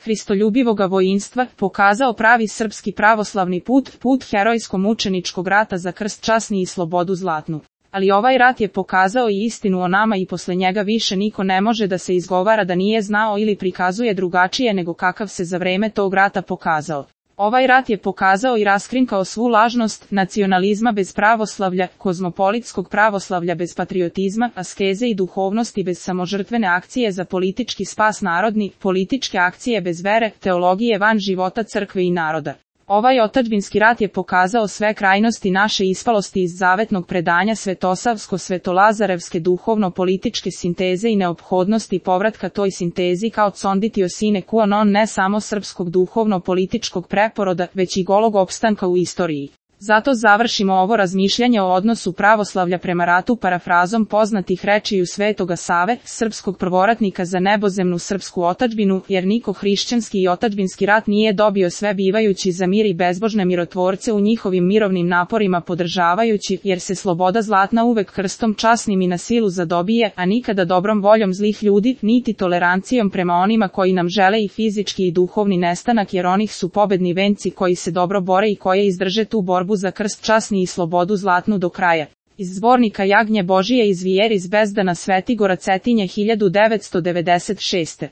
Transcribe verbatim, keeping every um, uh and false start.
hristoljubivoga vojinstva, pokazao pravi srpski pravoslavni put, put herojsko-mučeničkog rata za krst časni i slobodu zlatnu. Ali ovaj rat je pokazao i istinu o nama i posle njega više niko ne može da se izgovara da nije znao ili prikazuje drugačije nego kakav se za vreme tog rata pokazao. Ovaj rat je pokazao i raskrinkao svu lažnost nacionalizma bez pravoslavlja, kozmopolitskog pravoslavlja bez patriotizma, askeze i duhovnosti bez samožrtvene akcije za politički spas narodni, političke akcije bez vere, teologije van života crkve i naroda. Ovaj otadžbinski rat je pokazao sve krajnosti naše ispalosti iz zavetnog predanja svetosavsko-svetolazarevske duhovno-političke sinteze i neophodnosti povratka toj sintezi kao conditio sine qua non ne samo srpskog duhovno-političkog preporoda, već i golog opstanka u istoriji. Zato završimo ovo razmišljanje o odnosu pravoslavlja prema ratu parafrazom poznatih rečiju Svetoga Save, srpskog prvoratnika za nebozemnu srpsku otadžbinu, jer niko hrišćanski i otadžbinski rat nije dobio sve bivajući za mir i bezbožne mirotvorce u njihovim mirovnim naporima podržavajući, jer se sloboda zlatna uvek krstom časnim i na silu zadobije, a nikada dobrom voljom zlih ljudi, niti tolerancijom prema onima koji nam žele i fizički i duhovni nestanak, jer onih su pobedni venci koji se dobro bore i koje izdrže tu borbu za krst časni i slobodu zlatnu do kraja. Iz zbornika Jagnje Božije iz Vijeris Bezdana Svetigora Cetinje hiljadu devetsto devedeset šeste.